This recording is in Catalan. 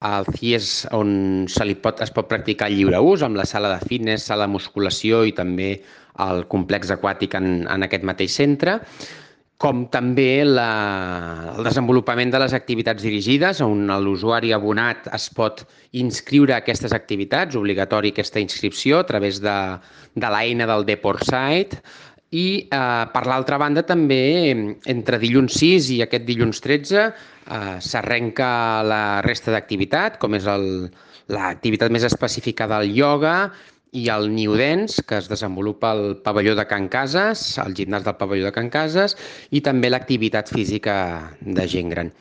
El CIE és on es pot practicar el lliure ús, amb la sala de fitness, sala de musculació i també el complex aquàtic en aquest mateix centre, com també el desenvolupament de les activitats dirigides, on l'usuari abonat es pot inscriure a aquestes activitats, obligatori aquesta inscripció a través de l'eina del DeportSite, i per l'altra banda també entre dilluns 6 i aquest dilluns 13 s'arrenca la resta d'activitat, com és l'activitat més específica del ioga i el New Dance, que es desenvolupa al pavelló de Can Cases, al gimnàs del pavelló de Can Cases, i també l'activitat física de gent gran.